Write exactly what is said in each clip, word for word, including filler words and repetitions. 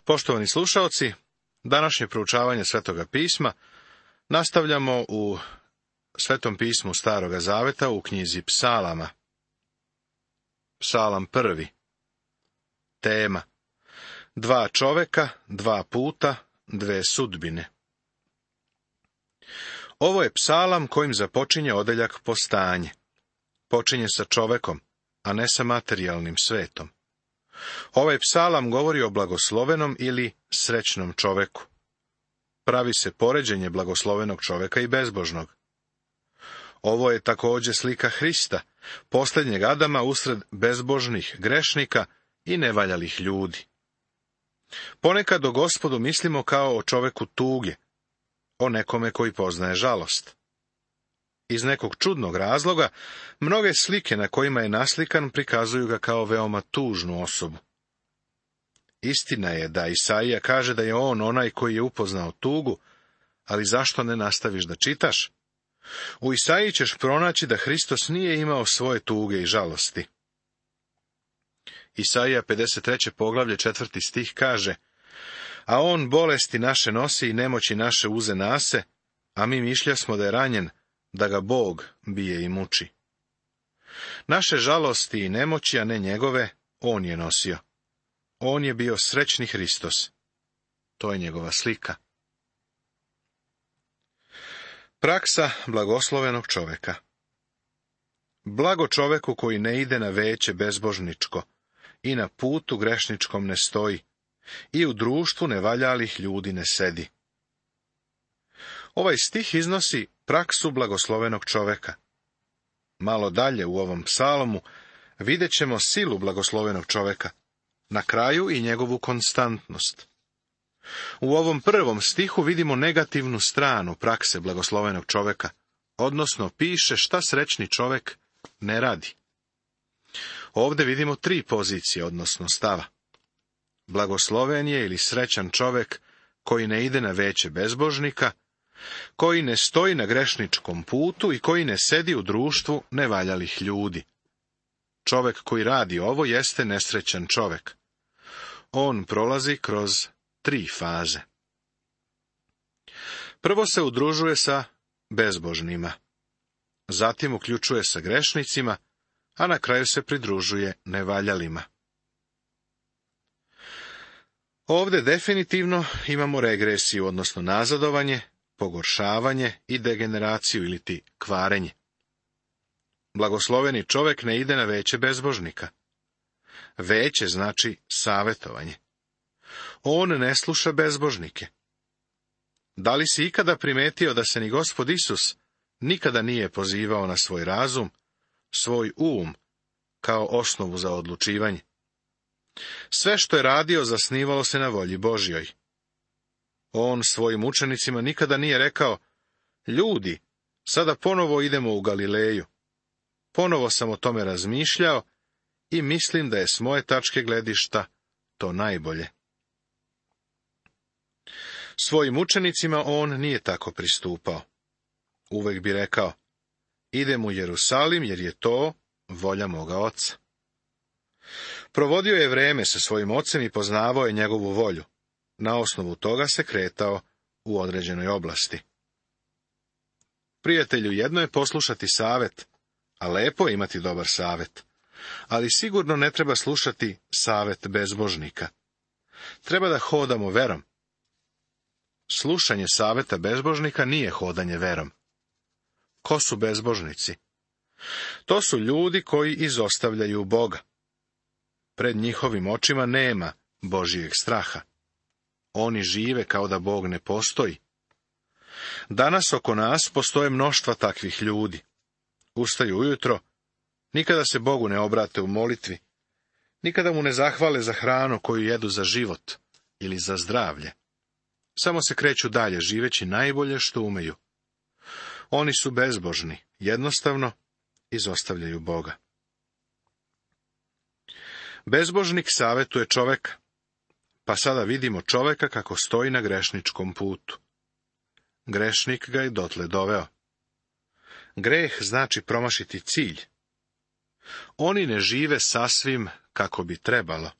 Poštovani slušaoci, današnje proučavanje Svetoga pisma nastavljamo u Svetom pismu Staroga zaveta u knjizi Psalama. Psalam prvi. Tema: dva čoveka, dva puta, dve sudbine. Ovo je psalam kojim započinje odeljak Postanje. Počinje sa čovekom, a ne sa materijalnim svetom. Ovaj psalam govori o blagoslovenom ili srećnom čoveku. Pravi se poređenje blagoslovenog čoveka i bezbožnog. Ovo je također slika Hrista, posljednjeg Adama usred bezbožnih grešnika i nevaljalih ljudi. Ponekad o Gospodu mislimo kao o čoveku tuge, o nekome koji poznaje žalost. Iz nekog čudnog razloga, mnoge slike na kojima je naslikan prikazuju ga kao veoma tužnu osobu. Istina je da Isaija kaže da je on onaj koji je upoznao tugu, ali zašto ne nastaviš da čitaš? U Isaiji ćeš pronaći da Hristos nije imao svoje tuge i žalosti. Isaija pedeset treće poglavlje četvrti stih kaže: A on bolesti naše nosi i nemoći naše uze nase, a mi mišljasmo da je ranjen, da ga Bog bije i muči. Naše žalosti i nemoći, a ne njegove, on je nosio. On je bio srećni Hristos. To je njegova slika. Praksa blagoslovenog čoveka. Blago čoveku koji ne ide na veće bezbožničko i na putu grešničkom ne stoji i u društvu nevaljalih ljudi ne sedi. Ovaj stih iznosi praksu blagoslovenog čoveka. Malo dalje u ovom psalomu vidjet ćemo silu blagoslovenog čoveka, na kraju i njegovu konstantnost. U ovom prvom stihu vidimo negativnu stranu prakse blagoslovenog čoveka, odnosno piše šta srećni čovek ne radi. Ovdje vidimo tri pozicije, odnosno stava. Blagosloven je ili srećan čovek koji ne ide na veće bezbožnika, koji ne stoji na grešničkom putu i koji ne sedi u društvu nevaljalih ljudi. Čovek koji radi ovo jeste nesrećan čovek. On prolazi kroz tri faze. Prvo se udružuje sa bezbožnima, zatim uključuje sa grešnicima, a na kraju se pridružuje nevaljalima. Ovdje definitivno imamo regresiju, odnosno nazadovanje, pogoršavanje i degeneraciju ili ti kvarenje. Blagosloveni čovek ne ide na veće bezbožnika. Veće znači savjetovanje. On ne sluša bezbožnike. Da li si ikada primetio da se ni Gospod Isus nikada nije pozivao na svoj razum, svoj um, kao osnovu za odlučivanje? Sve što je radio zasnivalo se na volji Božjoj. On svojim učenicima nikada nije rekao: Ljudi, sada ponovo idemo u Galileju. Ponovo sam o tome razmišljao i mislim da je s moje tačke gledišta to najbolje. Svojim učenicima on nije tako pristupao. Uvek bi rekao: Idem u Jerusalim jer je to volja moga oca. Provodio je vreme sa svojim ocem i poznavao je njegovu volju. Na osnovu toga se kretao u određenoj oblasti. Prijatelju, jedno je poslušati savet, a lepo je imati dobar savet, ali sigurno ne treba slušati savet bezbožnika. Treba da hodamo verom. Slušanje saveta bezbožnika nije hodanje verom. Ko su bezbožnici? To su ljudi koji izostavljaju Boga. Pred njihovim očima nema Božijeg straha. Oni žive kao da Bog ne postoji. Danas oko nas postoje mnoštva takvih ljudi. Ustaju ujutro, nikada se Bogu ne obrate u molitvi, nikada mu ne zahvale za hranu koju jedu za život ili za zdravlje. Samo se kreću dalje, živeći najbolje što umeju. Oni su bezbožni, jednostavno izostavljaju Boga. Bezbožnik savjetuje čoveka, pa sada vidimo čoveka kako stoji na grešničkom putu. Grešnik ga je dotle doveo. Greh znači promašiti cilj. Oni ne žive sasvim kako bi trebalo.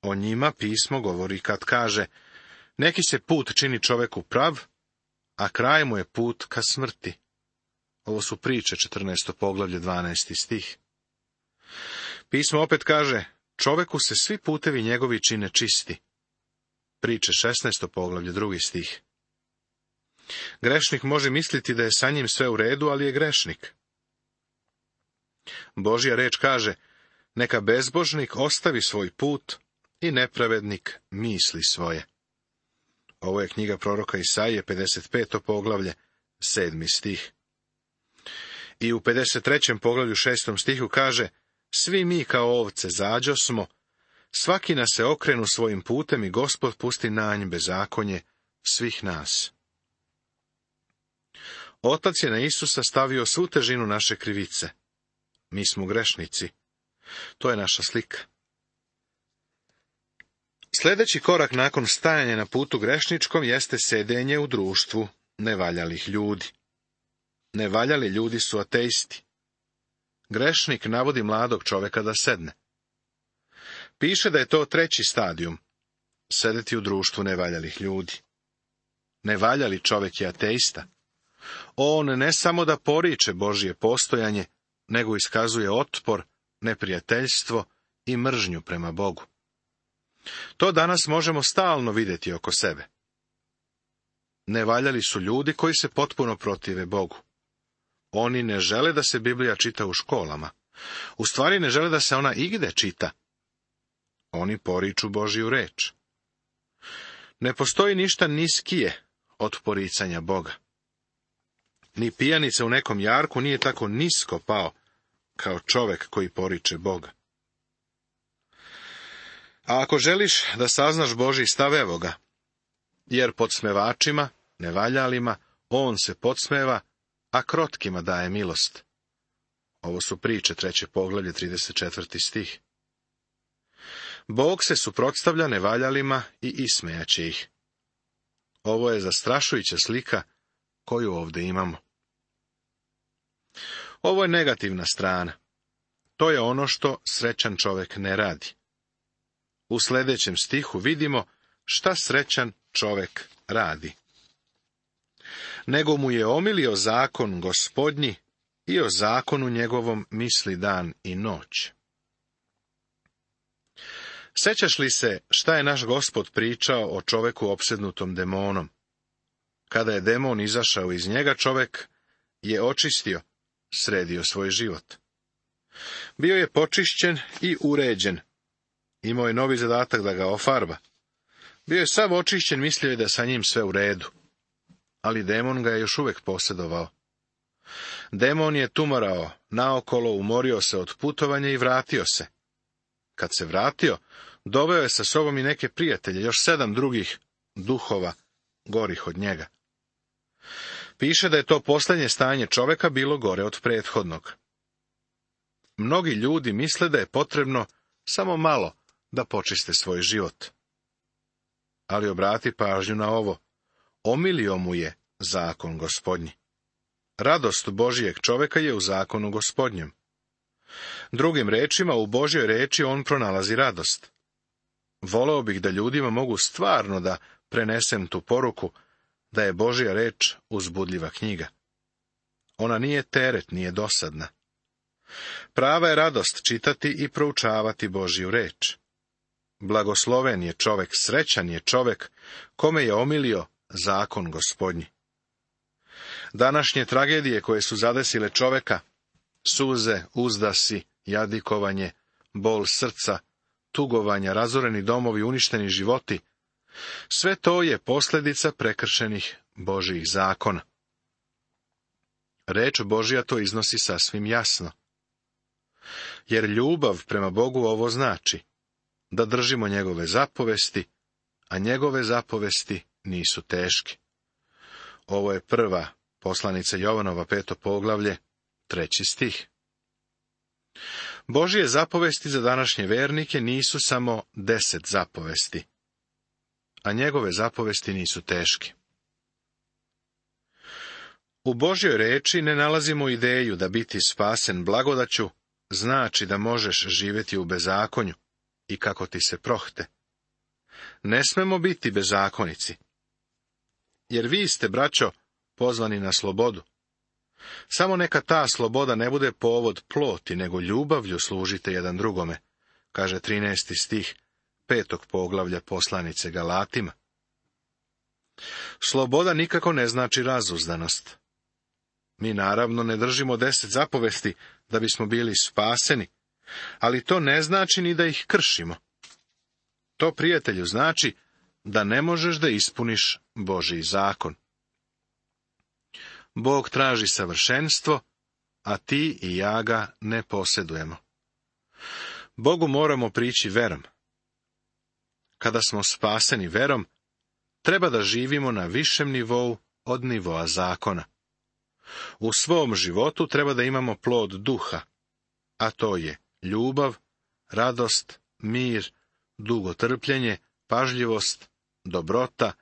O njima pismo govori kad kaže: neki se put čini čoveku prav, a kraj mu je put ka smrti. Ovo su priče, četrnaesto poglavlje, dvanaesti stih. Pismo opet kaže: čoveku se svi putevi njegovi čine čisti. Priče, šesnaesto poglavlje, drugi stih. Grešnik može misliti da je sa njim sve u redu, ali je grešnik. Božja reč kaže: neka bezbožnik ostavi svoj put i nepravednik misli svoje. Ovo je knjiga proroka Isaije, pedeset peto poglavlje, sedmi stih. I u pedeset trećem poglavlju, šestom stihu kaže: svi mi kao ovce zađosmo, svaki nas se okrenu svojim putem i Gospod pusti nanj bezakonje svih nas. Otac je na Isusa stavio svu težinu naše krivice. Mi smo grešnici. To je naša slika. Sljedeći korak nakon stajanja na putu grešničkom jeste sedenje u društvu nevaljalih ljudi. Nevaljali ljudi su ateisti. Grešnik navodi mladog čoveka da sedne. Piše da je to treći stadijum, sedeti u društvu nevaljalih ljudi. Nevaljali čovek je ateista. On ne samo da poriče Božje postojanje, nego iskazuje otpor, neprijateljstvo i mržnju prema Bogu. To danas možemo stalno vidjeti oko sebe. Nevaljali su ljudi koji se potpuno protive Bogu. Oni ne žele da se Biblija čita u školama. U stvari ne žele da se ona igde čita. Oni poriču Božju reč. Ne postoji ništa niskije od poricanja Boga. Ni pijanica u nekom jarku nije tako nisko pao kao čovek koji poriče Boga. A ako želiš da saznaš Božji stav, evo ga, jer podsmevačima, nevaljalima, on se podsmeva, a krotkima daje milost. Ovo su priče, treće poglavlje, trideset četvrti stih. Bog se suprotstavlja nevaljalima i ismejaće ih. Ovo je zastrašujuća slika koju ovdje imamo. Ovo je negativna strana. To je ono što srećan čovjek ne radi. U sljedećem stihu vidimo šta srećan čovjek radi. Nego mu je omilio zakon Gospodnji i o zakonu njegovom misli dan i noć. Sećaš li se šta je naš Gospod pričao o čoveku opsednutom demonom? Kada je demon izašao iz njega, čovek je očistio, sredio svoj život. Bio je počišćen i uređen. Imao je novi zadatak da ga ofarba. Bio je sav očišćen, mislio je da sa njim sve u redu. Ali demon ga je još uvijek posjedovao. Demon je tumarao naokolo, umorio se od putovanja i vratio se. Kad se vratio, doveo je sa sobom i neke prijatelje, još sedam drugih duhova, gorih od njega. Piše da je to posljednje stanje čoveka bilo gore od prethodnog. Mnogi ljudi misle da je potrebno samo malo da počiste svoj život. Ali obrati pažnju na ovo. Omilio mu je zakon Gospodnji. Radost Božijeg čoveka je u zakonu Gospodnjem. Drugim rečima, u Božjoj reči on pronalazi radost. Voleo bih da ljudima mogu stvarno da prenesem tu poruku, da je Božja reč uzbudljiva knjiga. Ona nije teret, nije dosadna. Prava je radost čitati i proučavati Božju reč. Blagosloven je čovek, srećan je čovek, kome je omilio zakon Gospodnji. Današnje tragedije koje su zadesile čoveka, suze, uzdasi, jadikovanje, bol srca, tugovanja, razoreni domovi, uništeni životi, sve to je posljedica prekršenih Božjih zakona. Reč Božja to iznosi sasvim jasno. Jer ljubav prema Bogu ovo znači, da držimo njegove zapovesti, a njegove zapovesti nisu teške. Ovo je prva poslanica Jovanova, peto poglavlje, treći stih. Božje zapovesti za današnje vernike nisu samo deset zapovesti, a njegove zapovesti nisu teške. U Božjoj reči ne nalazimo ideju da biti spasen blagodaću znači da možeš živjeti u bezakonju, i kako ti se prohte. Ne smemo biti bezakonici. Jer vi ste, braćo, pozvani na slobodu. Samo neka ta sloboda ne bude povod ploti, nego ljubavlju služite jedan drugome, kaže trinaesti stih petog poglavlja poslanice Galatima. Sloboda nikako ne znači razuzdanost. Mi naravno ne držimo deset zapovesti da bismo bili spaseni, ali to ne znači ni da ih kršimo. To, prijatelju, znači da ne možeš da ispuniš Božji zakon. Bog traži savršenstvo, a ti i ja ga ne posjedujemo. Bogu moramo prići verom. Kada smo spaseni verom, treba da živimo na višem nivou od nivoa zakona. U svom životu treba da imamo plod duha, a to je ljubav, radost, mir, dugotrpljenje, pažljivost, dobrota,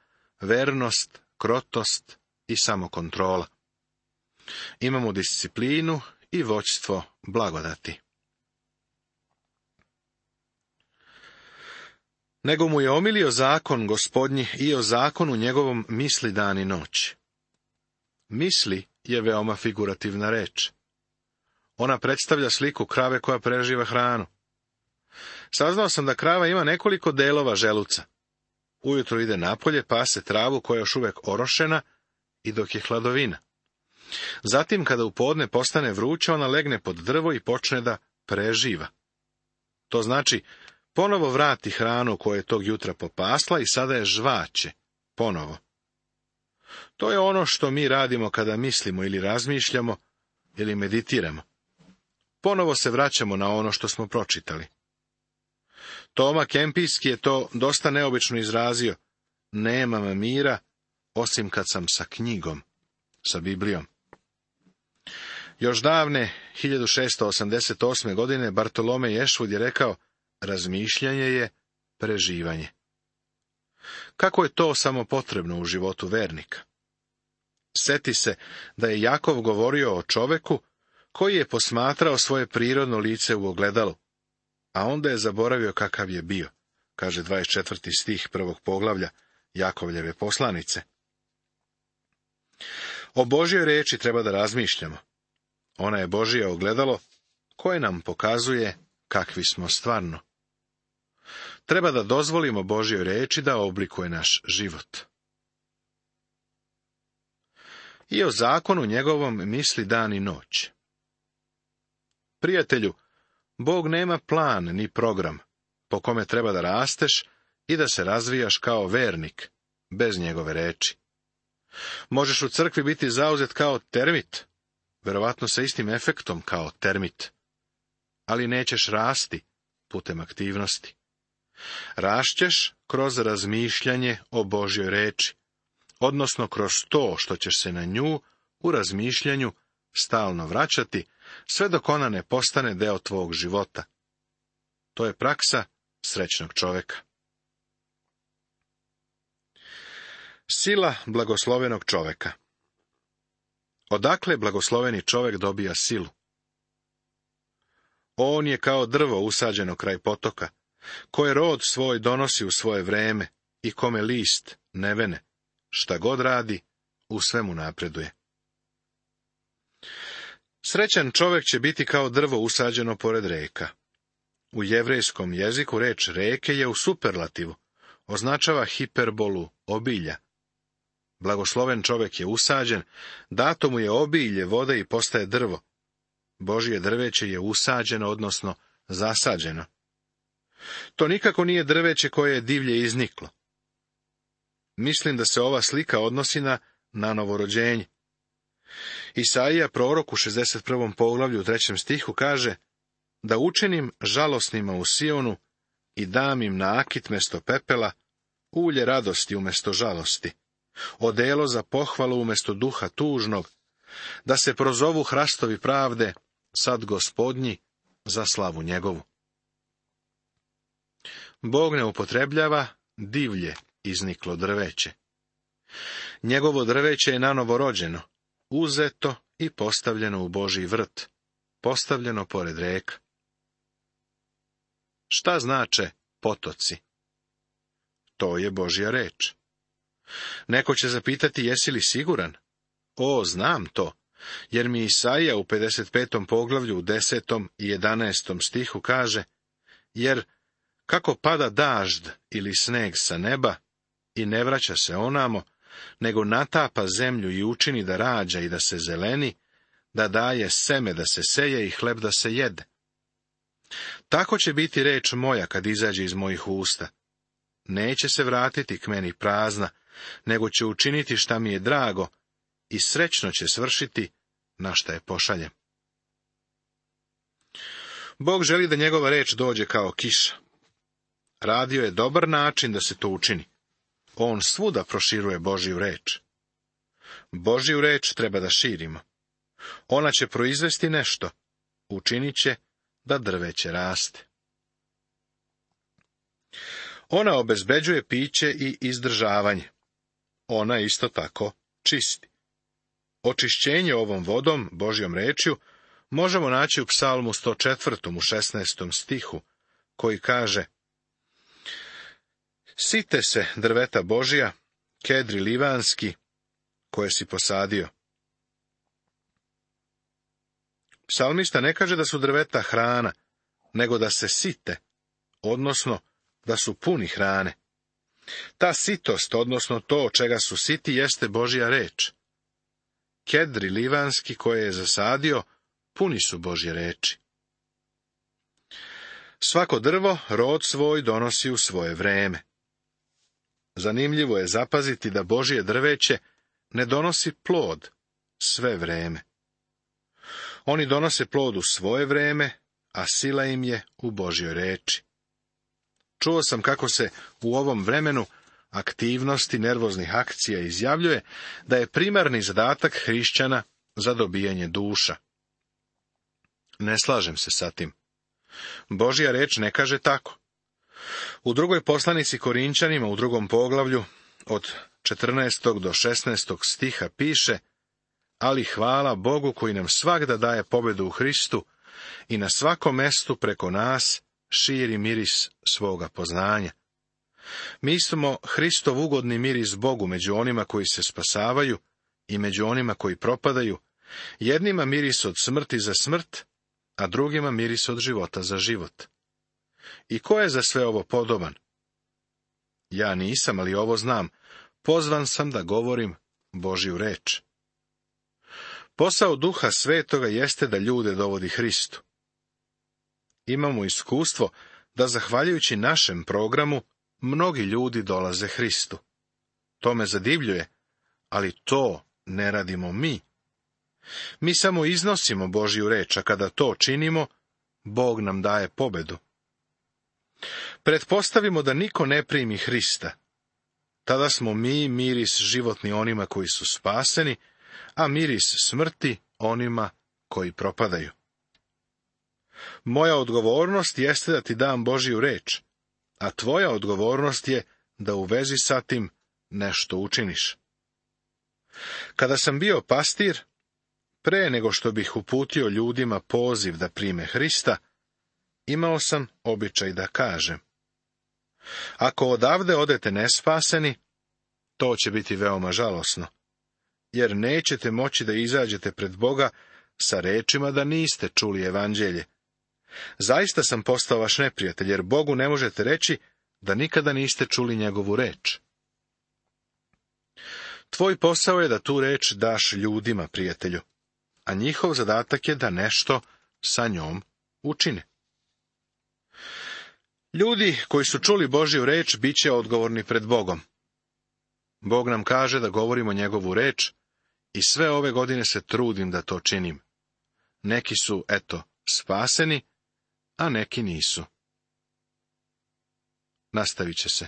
vernost, krotost i samokontrola. Imamo disciplinu i vođstvo blagodati. Nego mu je omilio zakon Gospodnji i o zakonu njegovom misli dan i noć. Misli je veoma figurativna reč. Ona predstavlja sliku krave koja preživa hranu. Saznao sam da krava ima nekoliko delova želuca. Ujutro ide napolje, pase travu koja je još uvek orošena i dok je hladovina. Zatim, kada u podne postane vruće, ona legne pod drvo i počne da preživa. To znači, ponovo vrati hranu koju je tog jutra popasla i sada je žvaće, ponovo. To je ono što mi radimo kada mislimo ili razmišljamo ili meditiramo. Ponovo se vraćamo na ono što smo pročitali. Toma Kempijski je to dosta neobično izrazio. Nemam mira, osim kad sam sa knjigom, sa Biblijom. Još davne, hiljadu šeststo osamdeset osme. godine, Bartolomej Ješvud je rekao, razmišljanje je preživanje. Kako je to samo potrebno u životu vernika? Seti se da je Jakov govorio o čoveku koji je posmatrao svoje prirodno lice u ogledalu, a onda je zaboravio kakav je bio, kaže dvadeset četvrti stih prvog poglavlja Jakovljeve poslanice. O Božjoj reči treba da razmišljamo. Ona je Božje ogledalo koje nam pokazuje kakvi smo stvarno. Treba da dozvolimo Božjoj reči da oblikuje naš život. I o zakonu njegovom misli dan i noć. Prijatelju, Bog nema plan ni program po kome treba da rasteš i da se razvijaš kao vernik, bez njegove reči. Možeš u crkvi biti zauzet kao termit, verovatno sa istim efektom kao termit, ali nećeš rasti putem aktivnosti. Rašćeš kroz razmišljanje o Božjoj reči, odnosno kroz to što ćeš se na nju u razmišljanju stalno vraćati, sve dok ona ne postane deo tvog života. To je praksa srećnog čoveka. Sila blagoslovenog čoveka. Odakle blagosloveni čovek dobija silu? On je kao drvo usađeno kraj potoka, koje rod svoj donosi u svoje vreme i kome list ne vene, šta god radi, u svemu napreduje. Srećan čovek će biti kao drvo usađeno pored reka. U jevrejskom jeziku reč reke je u superlativu, označava hiperbolu obilja. Blagosloven čovek je usađen, dato mu je obilje vode i postaje drvo. Božje drveće je usađeno, odnosno zasađeno. To nikako nije drveće koje je divlje izniklo. Mislim da se ova slika odnosi na, na novorođenje. Isaija, prorok u šezdeset prvom poglavlju u trećem stihu kaže da učinim žalosnima u Sionu i dam im nakit mesto pepela, ulje radosti umesto žalosti, odelo za pohvalu umesto duha tužnog, da se prozovu hrastovi pravde, sad Gospodnji, za slavu njegovu. Bog ne upotrebljava divlje izniklo drveće. Njegovo drveće je nanovo rođeno, uzeto i postavljeno u Božji vrt, postavljeno pored reka. Šta znače potoci. To je Božja reč. Neko će zapitati, jesi li siguran? O, znam to, jer mi Isaija u pedeset petom poglavlju u desetom i jedanaestom stihu kaže, jer kako pada dažd ili sneg sa neba i ne vraća se onamo, nego natapa zemlju i učini da rađa i da se zeleni, da daje seme da se seje i hleb da se jede. Tako će biti reč moja kad izađe iz mojih usta. Neće se vratiti k meni prazna, nego će učiniti šta mi je drago i srećno će svršiti na šta je pošaljem. Bog želi da njegova reč dođe kao kiša. Radio je dobar način da se to učini. On svuda proširuje Božju reč. Božju reč treba da širimo. Ona će proizvesti nešto, učinit će da drveće raste. Ona obezbeđuje piće i izdržavanje. Ona isto tako čisti. Očišćenje ovom vodom, Božjom rečju, možemo naći u Psalmu sto četvrtom u šesnaestom stihu, koji kaže: Site se drveta Božja, kedri livanski, koje si posadio. Psalmista ne kaže da su drveta hrana, nego da se site, odnosno da su puni hrane. Ta sitost, odnosno to čega su siti, jeste Božja reč. Kedri livanski koje je zasadio, puni su Božje reči. Svako drvo rod svoj donosi u svoje vreme. Zanimljivo je zapaziti da Božje drveće ne donosi plod sve vreme. Oni donose plod u svoje vreme, a sila im je u Božjoj reči. Čuo sam kako se u ovom vremenu aktivnosti nervoznih akcija izjavljuje da je primarni zadatak hrišćana za dobijanje duša. Ne slažem se sa tim. Božja reč ne kaže tako. U drugoj poslanici Korinčanima u drugom poglavlju od četrnaestog do šesnaestog stiha piše: ali hvala Bogu koji nam svagda daje pobedu u Hristu i na svakom mestu preko nas širi miris svoga poznanja. Mi smo Hristov ugodni miris Bogu među onima koji se spasavaju i među onima koji propadaju, jednima miris od smrti za smrt, a drugima miris od života za život. I ko je za sve ovo podoban? Ja nisam, ali ovo znam, pozvan sam da govorim Božju reč. Posao Duha Svetoga jeste da ljude dovodi Hristu. Imamo iskustvo da, zahvaljujući našem programu, mnogi ljudi dolaze Hristu. To me zadivljuje, ali to ne radimo mi. Mi samo iznosimo Božju reč, a kada to činimo, Bog nam daje pobedu. Pretpostavimo da niko ne primi Hrista. Tada smo mi miris životni onima koji su spaseni, a miris smrti onima koji propadaju. Moja odgovornost jeste da ti dam Božju reč, a tvoja odgovornost je da u vezi sa tim nešto učiniš. Kada sam bio pastir, pre nego što bih uputio ljudima poziv da prime Hrista, imao sam običaj da kažem: ako odavde odete nespaseni, to će biti veoma žalosno, jer nećete moći da izađete pred Boga sa rečima da niste čuli evanđelje. Zaista sam postao vaš neprijatelj, jer Bogu ne možete reći da nikada niste čuli njegovu reč. Tvoj posao je da tu reč daš ljudima, prijatelju, a njihov zadatak je da nešto sa njom učine. Ljudi koji su čuli Božju reč bit će odgovorni pred Bogom. Bog nam kaže da govorimo njegovu reč i sve ove godine se trudim da to činim. Neki su, eto, spaseni, a neki nisu. Nastavit će se.